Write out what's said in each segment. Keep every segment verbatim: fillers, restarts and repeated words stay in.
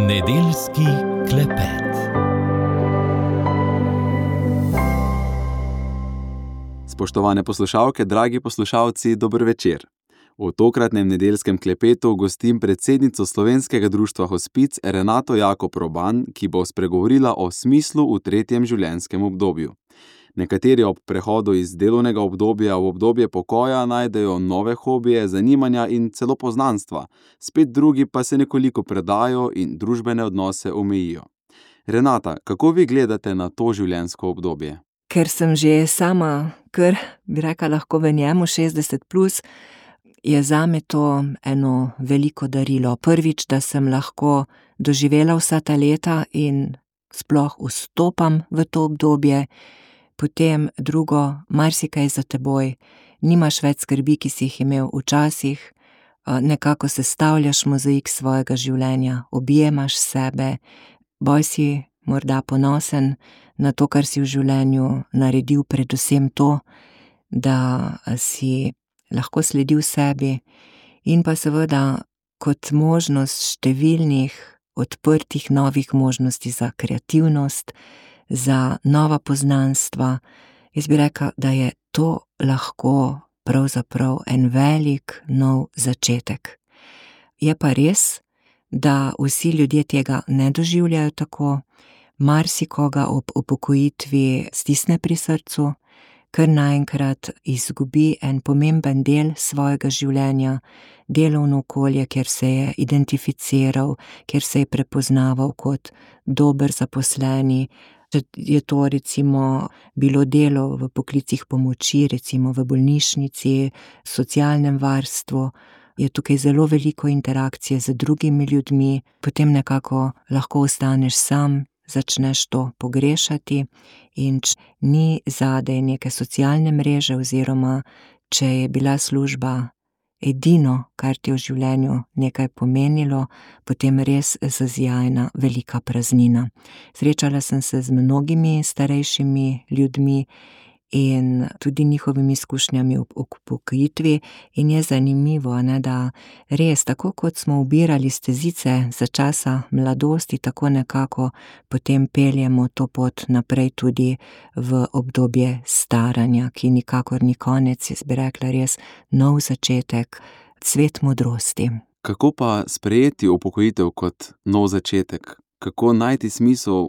Nedeljski klepet. Spoštovane poslušalke, dragi poslušalci, dober večer. V tokratnem nedeljskem klepetu gostim predsednico Slovenskega društva Hospic Renato Jakob Roban, ki bo spregovorila o smislu v tretjem življenjskem obdobju. Nekateri ob prehodu iz delovnega obdobja v obdobje pokoja najdejo nove hobije, zanimanja in celo poznanstva, spet drugi pa se nekoliko predajo in družbene odnose omejijo. Renata, kako vi gledate na to življenjsko obdobje? Ker sem že sama, kar bi rekla lahko v njemu šestdeset plus, je zame to eno veliko darilo. Prvič, da sem lahko doživela vsa ta leta in sploh vstopam v to obdobje. Potem drugo, marsikaj za teboj, nimaš več skrbi, ki si jih imel včasih, nekako sestavljaš mozaik svojega življenja, objemaš sebe, bolj si morda ponosen na to, kar si v življenju naredil, predvsem to, da si lahko sledil sebi in pa seveda kot možnost številnih odprtih novih možnosti za kreativnost, za nova poznanstva. Jaz bi rekla, da je to lahko pravzaprav en velik nov začetek. Je pa res, da vsi ljudje tega ne doživljajo tako, marsikoga ob upokojitvi stisne pri srcu, ker naenkrat izgubi en pomemben del svojega življenja, delovno okolje, kjer se je identificiral, kjer se je prepoznaval kot dober zaposleni. Če je to recimo bilo delo v poklicih pomoči, recimo v bolnišnici, socialnem varstvu, je tukaj zelo veliko interakcije z drugimi ljudmi, potem nekako lahko ostaneš sam, začneš to pogrešati in če ni zadaj neke socialne mreže oziroma če je bila služba edino, kar ti je v življenju nekaj pomenilo, potem res zazijajna velika praznina. Srečala sem se z mnogimi starejšimi ljudmi in tudi njihovimi izkušnjami ob upokojitvi in je zanimivo, ne, da res, tako kot smo ubirali stezice za časa mladosti, tako nekako potem peljemo to pot naprej tudi v obdobje staranja, ki nikakor ni konec, jaz bi rekla res nov začetek, cvet modrosti. Kako pa sprejeti upokojitev kot nov začetek? Kako najti smisel?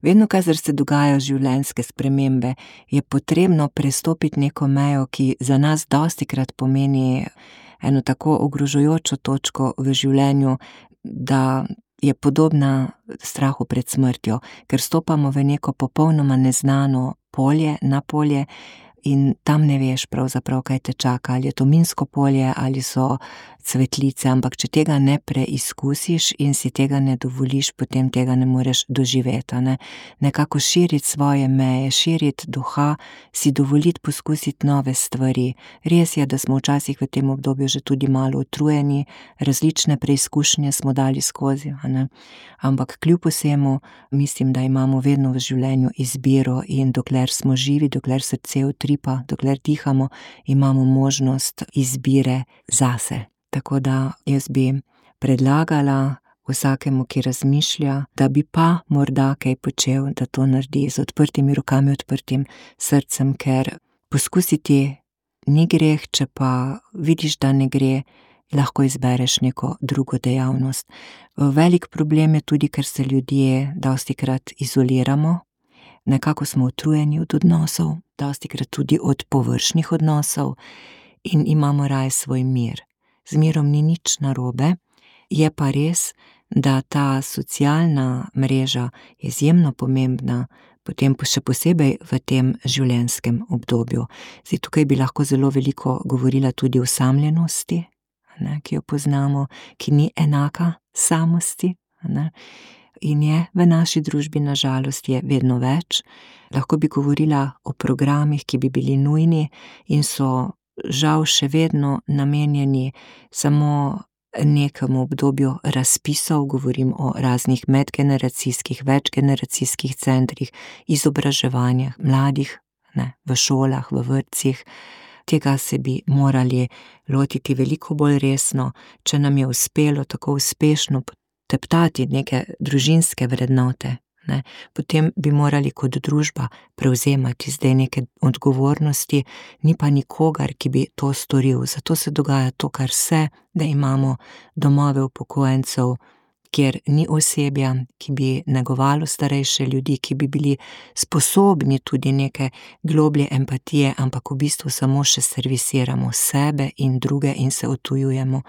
Vedno, kadar se dogajajo življenjske spremembe, je potrebno prestopiti neko mejo, ki za nas dostikrat pomeni eno tako ogrožajočo točko v življenju, da je podobna strahu pred smrtjo, ker stopamo v neko popolnoma neznano polje, na polje, in tam ne veš pravzaprav, kaj te čaka, ali je to minsko polje, ali so cvetlice, ampak če tega ne preizkusiš in si tega ne dovoliš, potem tega ne moreš doživeti, ne. Nekako širiti svoje meje, širiti duha, si dovoliti poskusiti nove stvari. Res je, da smo včasih v tem obdobju že tudi malo utrujeni, različne preizkušnje smo dali skozi, a ne. Ampak kljub vsemu mislim, da imamo vedno v življenju izbiro in dokler smo živi, dokler srce utripa, dokler dihamo, imamo možnost izbire zase. Tako da jaz bi predlagala vsakemu, ki razmišlja, da bi pa morda kaj počel, da to naredi z odprtimi rokami, odprtim srcem, ker poskusiti ni greh, če pa vidiš, da ne gre, lahko izbereš neko drugo dejavnost. Velik problem je tudi, ker se ljudje dostikrat izoliramo, nekako smo utrujeni od odnosov, dostikrat tudi od površnih odnosov in imamo raje svoj mir. Z mirom ni nič narobe, je pa res, da ta socialna mreža je izjemno pomembna, potem še posebej v tem življenjskem obdobju. Zdaj, tukaj bi lahko zelo veliko govorila tudi o osamljenosti, ne, ki jo poznamo, ki ni enaka samosti, ne, in je v naši družbi na žalost je vedno več. Lahko bi govorila o programih, ki bi bili nujni in so žal še vedno namenjeni samo nekemu obdobju razpisov, govorim o raznih medgeneracijskih, večgeneracijskih centrih, izobraževanjih mladih, ne, v šolah, v vrtcih. Tega se bi morali lotiti veliko bolj resno, če nam je uspelo tako uspešno teptati neke družinske vrednote, ne, potem bi morali kot družba prevzemati zdaj neke odgovornosti, ni pa nikogar, ki bi to storil. Zato se dogaja to, kar se, da imamo domove upokojencev, kjer ni osebja, ki bi negovalo starejše ljudi, ki bi bili sposobni tudi neke globlje empatije, ampak v bistvu samo še servisiramo sebe in druge in se odtujujemo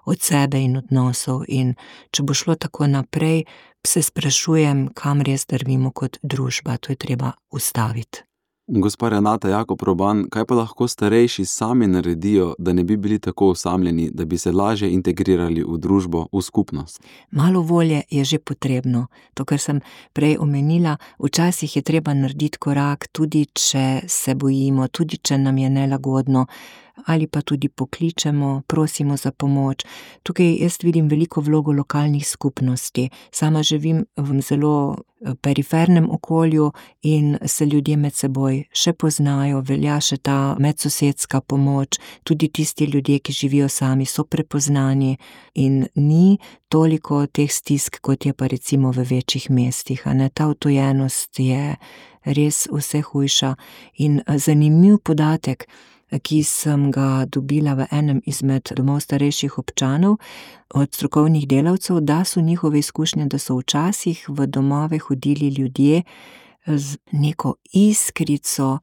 od sebe in odnosov. In če bo šlo tako naprej, se sprašujem, kam res drvimo kot družba, to je treba ustaviti. Gospa Renata Jakob Proban, kaj pa lahko starejši sami naredijo, da ne bi bili tako osamljeni, da bi se lažje integrirali v družbo, v skupnost? Malo volje je že potrebno. To, kar sem prej omenila, včasih je treba narediti korak, tudi če se bojimo, tudi če nam je nelagodno, ali pa tudi pokličemo, prosimo za pomoč. Tukaj jaz vidim veliko vlogo lokalnih skupnosti. Sama živim v zelo perifernem okolju in se ljudje med seboj še poznajo, velja še ta medsosedska pomoč, tudi tisti ljudje, ki živijo sami, so prepoznani in ni toliko teh stisk, kot je pa recimo v večjih mestih, a ne, ta odtujenost je res vse hujša. In zanimiv podatek, ki sem ga dobila v enem izmed domov starejših občanov od strokovnih delavcev, da so njihove izkušnje, da so včasih v domove hodili ljudje z neko iskrico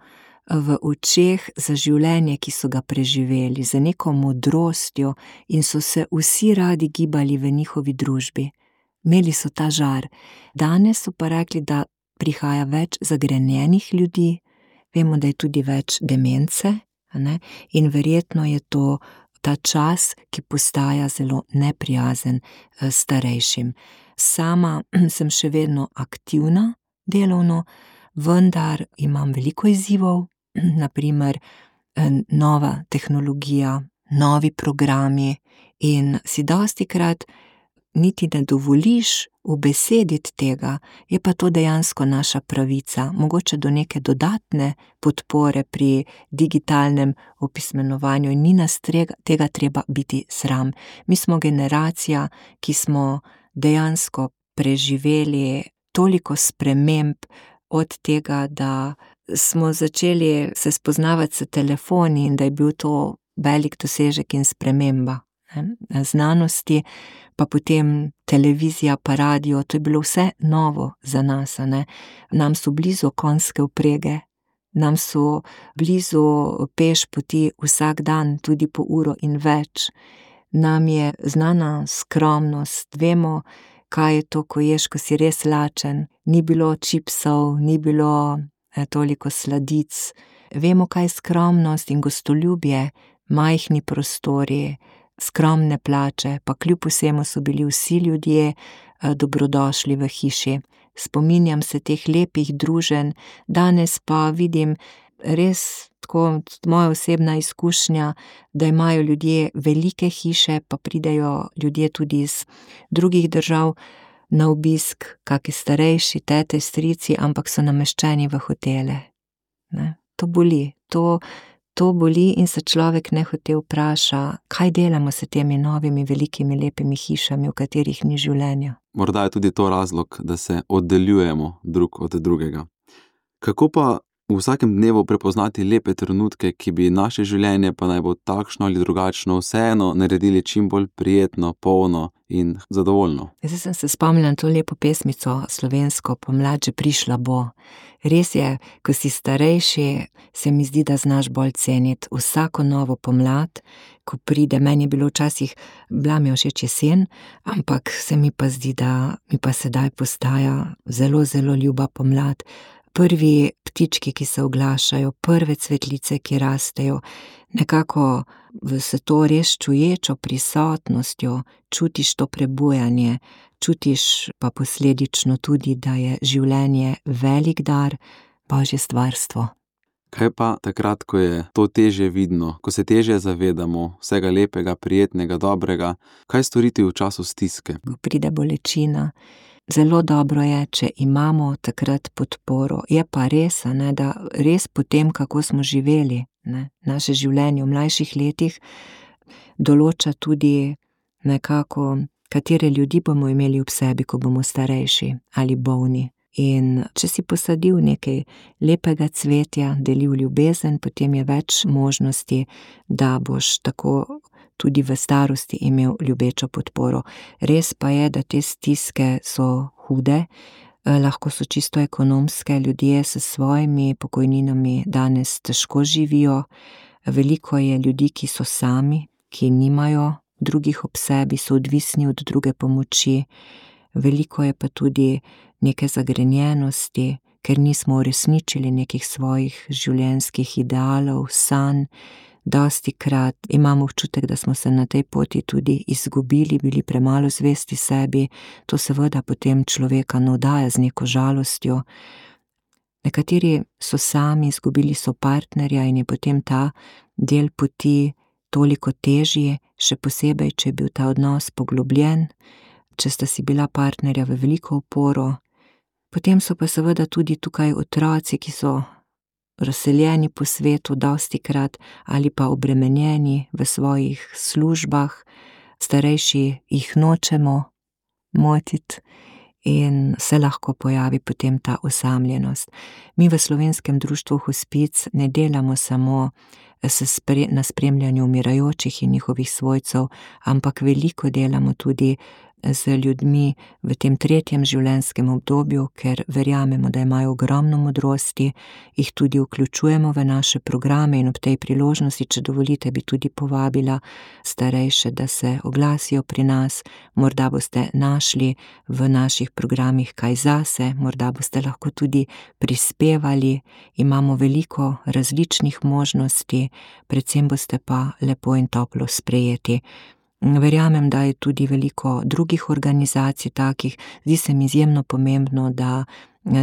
v očeh za življenje, ki so ga preživeli, z neko modrostjo in so se vsi radi gibali v njihovi družbi. Imeli so ta žar. Danes so pa rekli, da prihaja več zagrenjenih ljudi, vemo, da je tudi več demence, ne? In verjetno je to ta čas, ki postaja zelo neprijazen starejšim. Sama sem še vedno aktivna delovno, vendar imam veliko izzivov, na primer nova tehnologija, novi programi in si dostikrat niti ne dovoliš ubesediti tega, je pa to dejansko naša pravica, mogoče do neke dodatne podpore pri digitalnem opismenovanju in ni nas tega treba biti sram. Mi smo generacija, ki smo dejansko preživeli toliko sprememb od tega, da smo začeli se spoznavati s telefoni in da je bil to velik dosežek in sprememba. Znanosti, pa potem televizija, pa radio, to je bilo vse novo za nas, ne. Nam so blizu konjske vprege, nam so blizu peš poti vsak dan, tudi po uro in več. Nam je znana skromnost, vemo, kaj je to, ko ješ, ko si res lačen, ni bilo čipsov, ni bilo eh, toliko sladic. Vemo, kaj je skromnost in gostoljubje, majhni prostori, skromne plače, pa kljub vsemu so bili vsi ljudje dobrodošli v hiši. Spominjam se teh lepih druženj, danes pa vidim res tako moja osebna izkušnja, da imajo ljudje velike hiše, pa pridejo ljudje tudi iz drugih držav na obisk, kaki starejši, tete, strici, ampak so nameščeni v hotele. Ne? To boli, to To boli in se človek nehote vpraša, kaj delamo s temi novimi, velikimi, lepimi hišami, v katerih ni življenja. Morda je tudi to razlog, da se oddaljujemo drug od drugega. Kako pa v vsakem dnevu prepoznati lepe trenutke, ki bi naše življenje, pa naj bo takšno ali drugačno, vseeno naredili čim bolj prijetno, polno in zadovoljno? Zdaj sem se spomnila na to lepo pesmico slovensko, Pomlad že prišla bo. Res je, ko si starejši, se mi zdi, da znaš bolj ceniti vsako novo pomlad, ko pride, meni je bilo včasih, bila mi všeč jesen, ampak se mi pa zdi, da mi pa sedaj postaja zelo, zelo ljuba pomlad. Prvi ptički, ki se oglašajo, prve cvetlice, ki rastejo, nekako s to res čuječo prisotnostjo čutiš to prebujanje, čutiš pa posledično tudi, da je življenje velik dar, Božje stvarstvo. Kaj pa takrat, ko je to težje vidno, ko se težje zavedamo vsega lepega, prijetnega, dobrega, kaj storiti v času stiske? Ko pride bolečina, zelo dobro je, če imamo takrat podporo. Je pa res, ne, da res potem, kako smo živeli, ne, naše življenje v mlajših letih, določa tudi nekako katere ljudi bomo imeli ob sebi, ko bomo starejši ali bolni. In če si posadil nekaj lepega cvetja, delil ljubezen, potem je več možnosti, da boš tako tudi v starosti imel ljubečo podporo. Res pa je, da te stiske so hude, lahko so čisto ekonomske, ljudje s svojimi pokojninami danes težko živijo, veliko je ljudi, ki so sami, ki nimajo drugih ob sebi, so odvisni od druge pomoči, veliko je pa tudi neke zagrenjenosti, ker nismo uresničili nekih svojih življenjskih idealov, sanj. Dostikrat imamo občutek, da smo se na tej poti tudi izgubili, bili premalo zvesti sebi, to seveda potem človeka navdaja z neko žalostjo. Nekateri so sami, izgubili so partnerja in je potem ta del poti toliko težji, še posebej, če je bil ta odnos poglobljen, če sta si bila partnerja v veliko oporo. Potem so pa seveda tudi tukaj otroci, ki so razseljeni po svetu dostikrat ali pa obremenjeni v svojih službah, starejši jih nočemo motiti in se lahko pojavi potem ta osamljenost. Mi v Slovenskem društvu Hospic ne delamo samo na spremljanju umirajočih in njihovih svojcev, ampak veliko delamo tudi z ljudmi v tem tretjem življenjskem obdobju, ker verjamemo, da imajo ogromno modrosti, jih tudi vključujemo v naše programe in ob tej priložnosti, če dovolite, bi tudi povabila starejše, da se oglasijo pri nas, morda boste našli v naših programih kaj zase, morda boste lahko tudi prispevali, imamo veliko različnih možnosti, predvsem boste pa lepo in toplo sprejeti. Verjamem, da je tudi veliko drugih organizacij takih, zdi se mi izjemno pomembno, da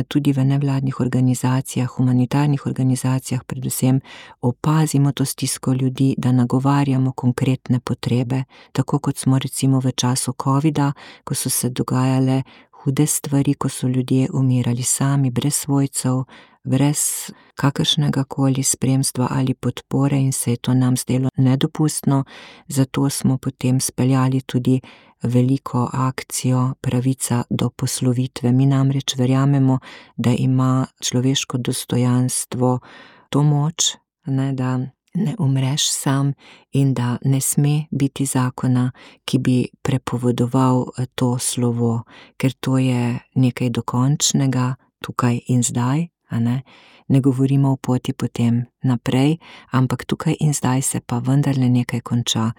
tudi v nevladnih organizacijah, humanitarnih organizacijah predvsem opazimo to stisko ljudi, da nagovarjamo konkretne potrebe, tako kot smo recimo v času covida, ko so se dogajale hude stvari, ko so ljudje umirali sami, brez svojcev, brez kakršnega koli spremstva ali podpore in se je to nam zdelo nedopustno, zato smo potem speljali tudi veliko akcijo Pravica do poslovitve. Mi namreč verjamemo, da ima človeško dostojanstvo to moč, ne, da ne umreš sam in da ne sme biti zakona, ki bi prepovedoval to slovo, ker to je nekaj dokončnega tukaj in zdaj, a ne? Ne govorimo o poti potem naprej, ampak tukaj in zdaj se pa vendarle nekaj konča.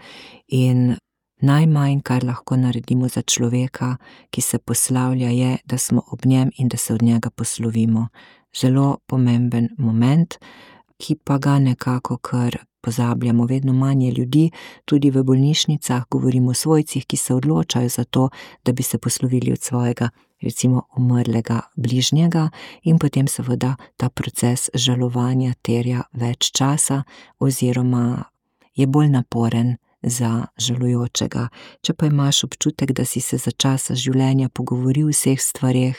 In najmanj, kar lahko naredimo za človeka, ki se poslavlja, je, da smo ob njem in da se od njega poslovimo. Zelo pomemben moment, ki pa ga nekako kar pozabljamo. Vedno manj je ljudi, tudi v bolnišnicah govorimo o svojcih, ki se odločajo za to, da bi se poslovili od svojega, recimo, umrlega bližnjega in potem seveda ta proces žalovanja terja več časa oziroma je bolj naporen za žalujočega. Če pa imaš občutek, da si se za časa življenja pogovoril o vseh stvareh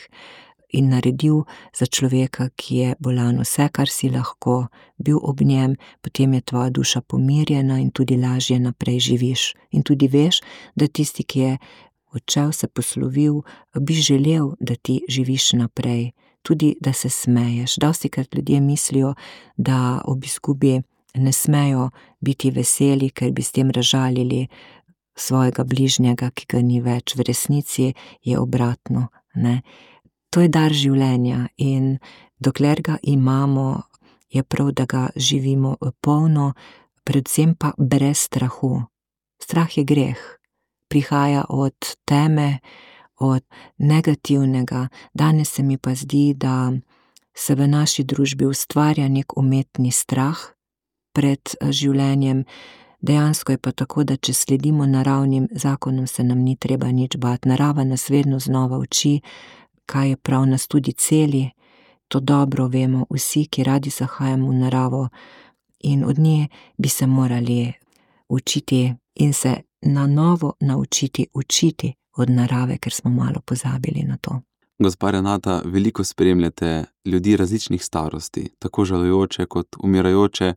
in naredil za človeka, ki je bolan, vse, kar si lahko, bil ob njem, potem je tvoja duša pomirjena in tudi lažje naprej živiš. In tudi veš, da tisti, ki je odšel, se poslovil, bi želel, da ti živiš naprej, tudi da se smeješ. Dostikrat ljudje mislijo, da ob izgubi ne smejo biti veseli, ker bi s tem razžalili svojega bližnjega, ki ga ni več. V resnici je obratno, ne. To je dar življenja in dokler ga imamo, je prav, da ga živimo polno, predvsem pa brez strahu. Strah je greh, prihaja od teme, od negativnega. Danes se mi pa zdi, da se v naši družbi ustvarja nek umetni strah pred življenjem. Dejansko je pa tako, da če sledimo naravnim zakonom, se nam ni treba nič bati. Narava nas vedno znova uči, kaj je prav, nas tudi celi, to dobro vemo vsi, ki radi zahajamo v naravo in od nje bi se morali učiti in se na novo naučiti učiti od narave, ker smo malo pozabili na to. Gospa Renata, veliko spremljate ljudi različnih starosti, tako žalujoče kot umirajoče.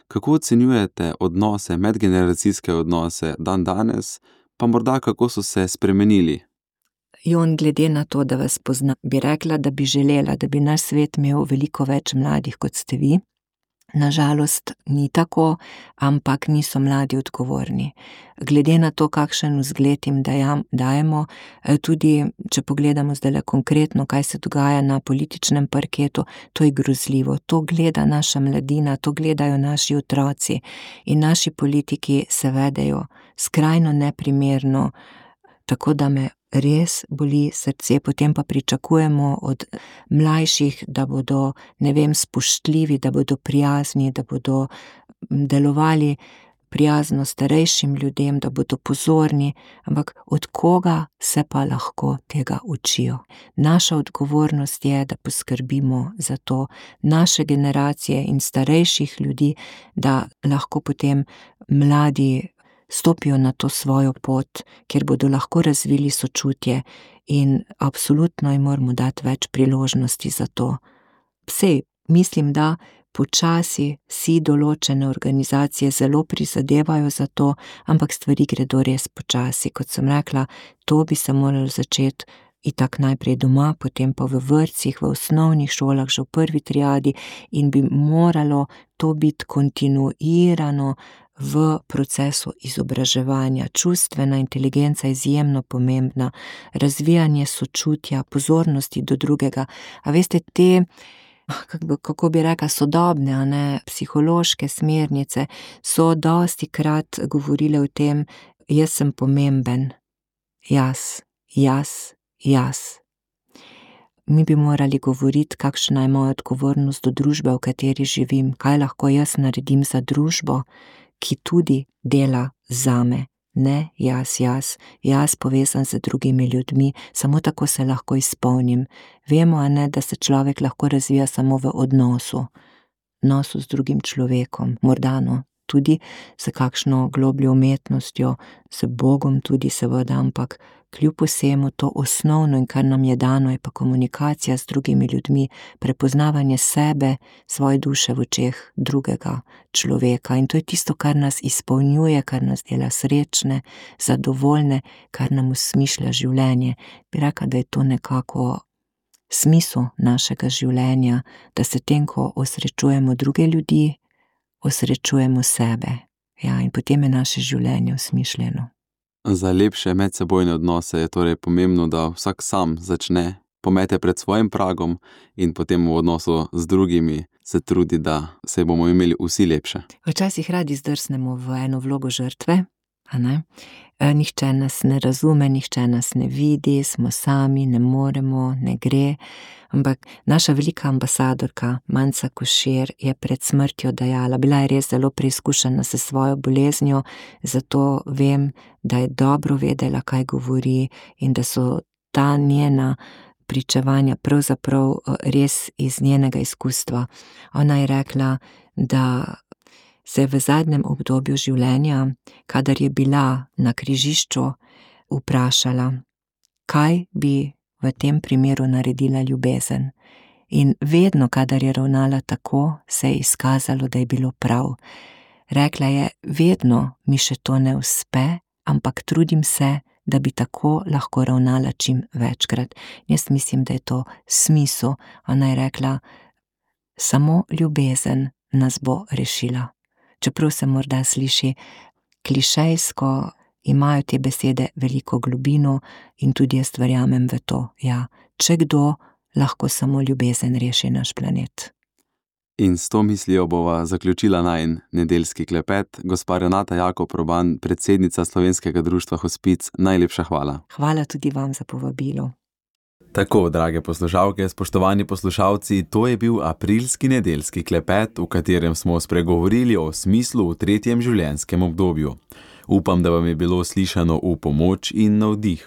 Kako ocenjujete odnose, medgeneracijske odnose dan danes, pa morda kako so se spremenili? Jon, glede na to, da vas pozna, bi rekla, da bi želela, da bi naš svet imel veliko več mladih, kot ste vi. Nažalost ni tako, ampak niso mladi odgovorni. Glede na to, kakšen vzgled jim dajemo, tudi če pogledamo zdajle konkretno, kaj se dogaja na političnem parketu, to je grozljivo. To gleda naša mladina, to gledajo naši otroci in naši politiki se vedejo skrajno neprimerno, tako da me res boli srce, potem pa pričakujemo od mlajših, da bodo, ne vem, spoštljivi, da bodo prijazni, da bodo delovali prijazno starejšim ljudem, da bodo pozorni, ampak od koga se pa lahko tega učijo? Naša odgovornost je, da poskrbimo za to, naše generacije in starejših ljudi, da lahko potem mladi stopijo na to svojo pot, kjer bodo lahko razvili sočutje in absolutno jim moramo dati več priložnosti za to. Sej, mislim, da počasi si določene organizacije zelo prizadevajo za to, ampak stvari gredo res počasi. Kot sem rekla, to bi se moralo začeti itak najprej doma, potem pa v vrtcih, v osnovnih šolah, že v prvi triadi in bi moralo to biti kontinuirano v procesu izobraževanja. Čustvena inteligenca je izjemno pomembna, razvijanje sočutja, pozornosti do drugega. A veste, te, kako bi rekla, sodobne, a ne, psihološke smernice so dosti krat govorile o tem, jaz sem pomemben, jaz, jaz, jaz. Mi bi morali govoriti, kakšna je moja odgovornost do družbe, v kateri živim, kaj lahko jaz naredim za družbo, ki tudi dela zame, ne jaz, jaz, jaz povezan z drugimi ljudmi, samo tako se lahko izpolnim. Vemo, a ne, da se človek lahko razvija samo v odnosu, odnosu z drugim človekom, morda no, tudi s kakšno globljo umetnostjo, z Bogom tudi seveda, ampak kljub vsemu to osnovno in kar nam je dano, je pa komunikacija z drugimi ljudmi, prepoznavanje sebe, svoje duše v očeh drugega človeka in to je tisto, kar nas izpolnjuje, kar nas dela srečne, zadovoljne, kar nam usmišlja življenje. Bi rekla, da je to nekako smisel našega življenja, da se tem, ko osrečujemo druge ljudi, osrečujemo sebe. Ja, in potem je naše življenje usmišljeno. Za lepše medsebojne odnose je torej pomembno, da vsak sam začne, pomete pred svojim pragom in potem v odnosu z drugimi se trudi, da se bomo imeli vsi lepše. Včasih radi zdrsnemo v eno vlogo žrtve, a ne? Nihče nas ne razume, nihče nas ne vidi, smo sami, ne moremo, ne gre. Ampak naša velika ambasadorka Manca Košir je pred smrtjo dejala, bila je res zelo preizkušena s svojo boleznijo, zato vem, da je dobro vedela, kaj govori in da so ta njena pričevanja pravzaprav res iz njenega izkustva. Ona je rekla, da se je v zadnjem obdobju življenja, kadar je bila na križišču, vprašala, kaj bi v tem primeru naredila ljubezen. In vedno, kadar je ravnala tako, se je izkazalo, da je bilo prav. Rekla je, vedno mi še to ne uspe, ampak trudim se, da bi tako lahko ravnala čim večkrat. Jaz mislim, da je to smisel. Ona je rekla, samo ljubezen nas bo rešila. Čeprav se morda sliši klišejsko, imajo te besede veliko globino in tudi jaz verjamem v to. Ja, če kdo, lahko samo ljubezen reši naš planet. In s to mislijo bova zaključila najin nedeljski klepet. Gospa Renata Jakob Proban, predsednica Slovenskega društva Hospic, najlepša hvala. Hvala tudi vam za povabilo. Tako, drage poslušalke, spoštovani poslušalci, to je bil aprilski nedeljski klepet, v katerem smo spregovorili o smislu v tretjem življenjskem obdobju. Upam, da vam je bilo slišano v pomoč in navdih.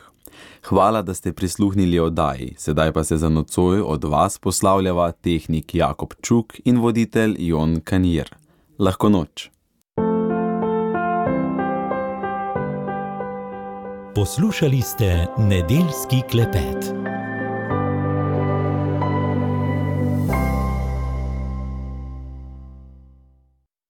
Hvala, da ste prisluhnili oddaji, sedaj pa se za nocoj od vas poslavljava tehnik Jakob Čuk in voditelj Jon Kanjer. Lahko noč. Poslušali ste nedeljski klepet.